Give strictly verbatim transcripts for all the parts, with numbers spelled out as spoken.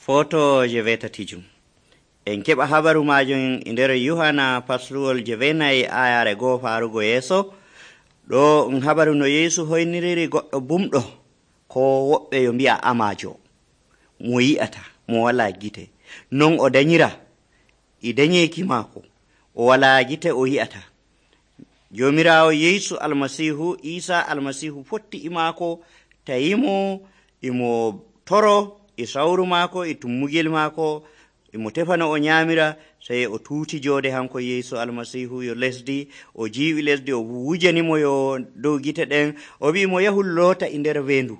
Foto je wetatijum. En keɓa habaru majum e nder Yohana pasluwol je wenayi ayare goo farugo yeso. Ɗo um habaru no Yesu hoyniriri goɗɗo bumɗo ko woɓɓe yo mbi'a amajo mo yi'ata mo wala gite. Non o danyira e danyeki mako o wala gite o yi'ata. Jomirawo Yesu almasihu Isa almasihu fotti e mako tayimo imo toro e sawru mako e tummugel mako imo tefano o nyamira sey o tuuti jode hanko Yesu almasihu yo lesdi o jiwi lesdi o wujanimo yo dow gite ɗen o wi mo yahu loota e nder wendu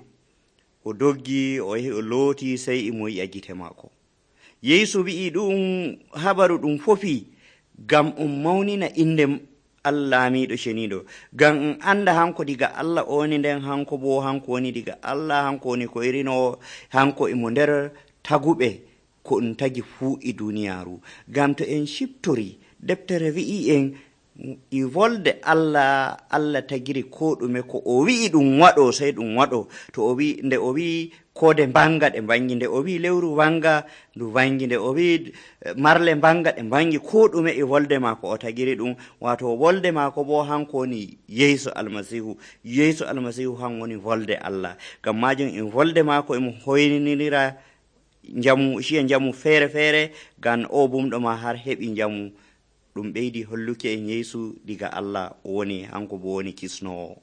o doggi o yahi o looti sey imo yi'a gite mako. Yesu wi'i ɗum habaru ɗum fofi gam um mawnina inde Allah lamiɗo ceniɗo, gam um anda hanko diga Allah oni nden hanko bo hanko woni diga Allah, hanko woni ko irino hanko imo nder taguɓe ko um tagi fuu e duniyaru. Gam to en shiptori deftere wi'i en e volde Allah Allah tagiri ko ɗume ko o wi'i ɗum waɗo sey ɗum waɗo. To o wi nde o wi kode banga ɗe bangi, nde o wi lewru wanga ndu wangi, nde o wi marle banga ɗe bangi, ko ɗume e volde mako o tagiri ɗum. Wato volde mako bo hanko woni Yesu almasihu. Yesu almasihu han woni volde Allah. Gam majum e volde mako emo hoyninira jamu shiya jamu fere fere gam o bumɗo ma har heɓi jamu. Ɗum ɓeydi holluki en Yesu diga Allah woni hanko bo woni kisnowo.